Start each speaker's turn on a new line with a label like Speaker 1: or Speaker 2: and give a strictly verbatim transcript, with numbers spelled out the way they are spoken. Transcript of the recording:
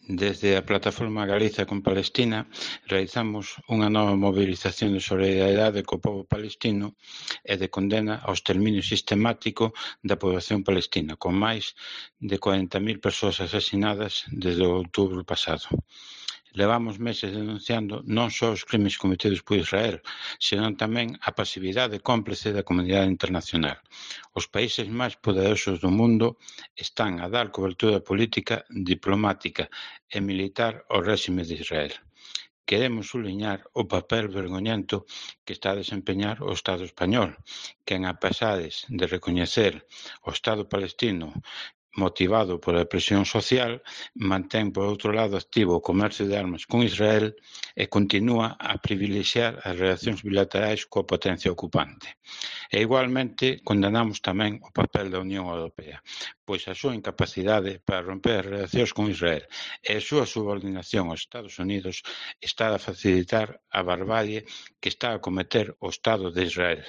Speaker 1: Desde a Plataforma Galiza con Palestina realizamos unha nova mobilización de solidariedade co pobo palestino e de condena ao exterminio sistemático da poboación palestina, con máis de corenta mil persoas asasinadas desde o outubro pasado. Levamos meses denunciando non só os crimes cometidos por Israel, senón tamén a pasividade cómplice da comunidade internacional. Os países máis poderosos do mundo están a dar cobertura política, diplomática e militar ao réxime de Israel. Queremos subliñar o papel vergoñento que está a desempeñar o Estado español, que, en a pesades de recoñecer o Estado palestino motivado pola presión social, mantén, por outro lado, activo o comercio de armas con Israel e continúa a privilexiar as relacións bilaterais coa potencia ocupante. E, igualmente, condenamos tamén o papel da Unión Europea, pois a súa incapacidade para romper as relacións con Israel e a súa subordinación aos Estados Unidos está a facilitar a barbarie que está a cometer o Estado de Israel.